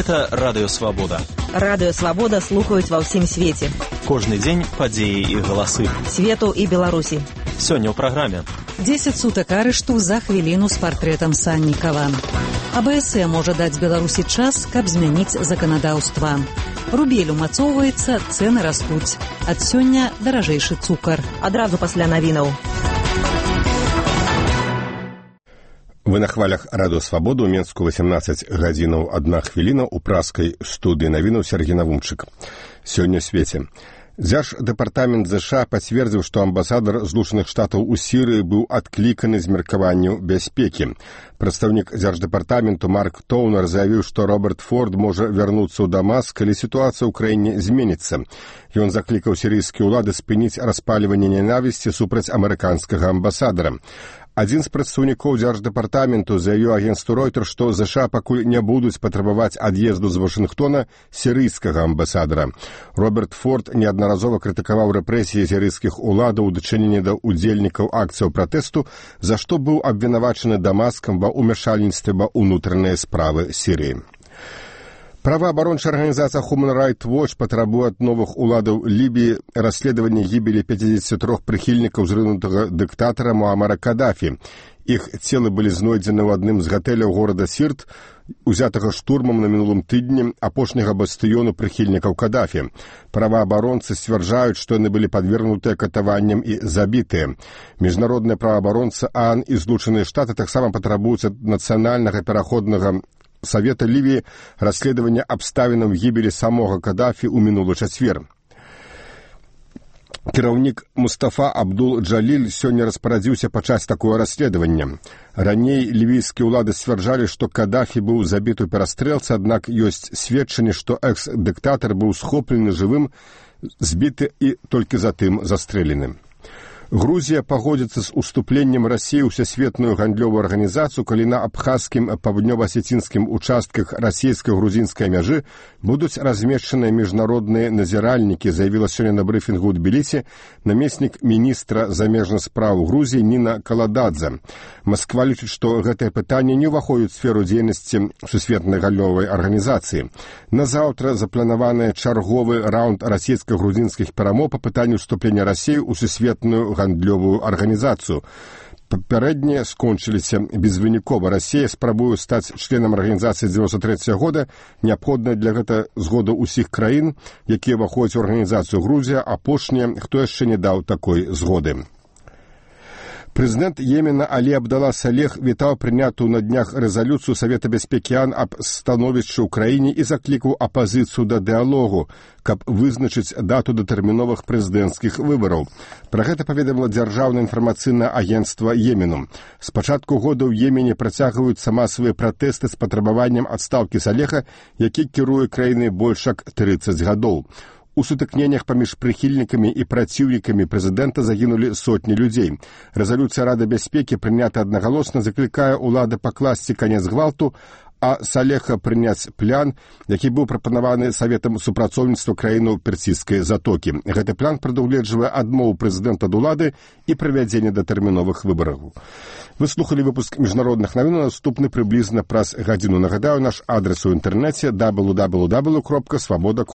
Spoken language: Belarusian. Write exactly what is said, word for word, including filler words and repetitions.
Гэта Радыё Свабода. Радыё Свабода слухаюць ва ўсім свеце. Кожны дзень падзеі і галасы. Свету і Беларусі. Сёння ў праграме. дзесяць сутак арышту за хвіліну з партрэтам Саннікава. АБС можа даць Беларусі час, каб змяніць заканадаўства. Рубель умацоўваецца, цэны растуць. Ад сёння даражэйшы цукар. Адразу пасля навінаў. Вы на хвалях Радыё Свабода, у Менску восемнадцать гадзінаў одна хвіліна, у праскай студыі навінаў Сергей Навумчык. Сёння ў свеце. Дзярждэпартамент ЗША пацвердзіў, што амбасадар Злучаных Штатаў у Сірыі быў адкліканы з меркаванняў бяспекі. Прадстаўнік дзярждэпартаменту Марк Тоўнер заявіў, што Роберт Форд можа вярнуцца ў Дамаск, калі сітуацыя ў краіне зменіцца. Ён заклікаў сірыйскія ўлады спыніць распальванне нянавісці супраць амерыканскага амбасадара. Адзін з прадстаўнікоў дзярждэпартаменту заявіў агенцтву Ройтер, што ЗША пакуль не будуць патрабаваць ад'езду з Вашынгтона сірыйскага амбасадара. Роберт Форд неаднаразова крытыкаваў рэпрэсіі сірыйскіх уладаў у дачыненні да ўдзельнікаў акцыяў пратэсту, за што быў абвінавачаны Дамаскам ва ўмяшальніцтве ва ўнутраныя справы Сірыі. Праваабарончая арганізацыя Human Rights Watch патрабуе ад новых уладаў Лібіі расследавання гібелі пятьдесят три прыхільнікаў зрынутага дыктатара Муамара Кадафі. Іх целы былі знойдзены ў адным з гатэляў горада Сірт, узятага штурмам на мінулым тыдні апошняга бастыёну прыхільнікаў Кадафі. Праваабаронцы сцвярджаюць, што яны былі падвергнутыя катаванням і забітыя. Міжнародныя праваабаронцы ААН і Злучаныя Штаты таксама патрабуюць ад нацыянальнага пераходнага Савета Лівіі расследавання абставінаў гібелі самога Кадафі ў мінулы чацвер. Кіраўнік Мустафа Абдул-Джаліль сёння распарадзіўся пачаць такое расследаванне. Раней лівійскія ўлады сцвярджалі, што Кадафі быў забіты ў перастрэлцы, аднак ёсць сведчанні, што экс-дыктатар быў схоплены жывым, збіты і толькі затым застрэлены. Грузія пагодзіцца з уступленнем Расіі ў Всесветную гандлёвую арганізацыю, калі на абхазскім паўднёва-асецінскім участках расійска-грузінскай мяжы будуць размешчаныя міжнародныя назіральнікі, заявіла сёння на брыфінгу ў Тбілісі намеснік міністра замежных спраў Грузіі Ніна Калададзе. Масква лічыць, што гэтае пытанне не ўваходзіць у сферу дзейнасці Всесветнай гандлёвай арганізацыі. На заўтра запланаваны чарговы раунд расійска-грузінскіх перамоў па пытанню ўступлення Расіі ў Всесветную гандлёвую арганізацыю. Папярэднія скончыліся безвынікова. Расія спрабуе стаць членам арганізацыі дзевяносто трэцяга года, неабходная для гэта згода ўсіх краін, якія ўваходзяць у арганізацыю. Грузія апошняя, хто яшчэ не даў такой згоды. Прэзідэнт Йемена Алі Абдала Салех вітаў прынятую на днях рэзалюцыю Савета бяспекі ААН аб становішчы ў краіне і заклікаў апазіцыю да дыялогу, каб вызначыць дату датэрміновых прэзідэнцкіх выбараў. Пра гэта паведаміла дзяржаўнае інфармацыйнае агенцтва Йемену. З пачатку года ў Йемене працягваюцца масавыя пратэсты з патрабаваннем адстаўкі Салеха, які кіруе краінай больш як трыццаць гадоў. У сутыкненнях паміж прыхільнікамі і праціўнікамі прэзідэнта загінулі сотні людзей. Рэзалюцыя Рады бяспекі, прынята аднагалосна, заклікае ўлады пакласці канец гвалту, а Салеха прыняць план, які быў прапанаваны Саветам супрацоўніцтва краінаў Персійскай затокі. Гэты план прадугледжвае адмову прэзідэнта ад улады і правядзенне датэрміновых выбараў. Вы слухалі выпуск міжнародных навін, наступны прыблізна праз гадзіну. Нагадаю, наш адрес у інтэрнэце дабл ю дабл ю дабл ю кропка свабода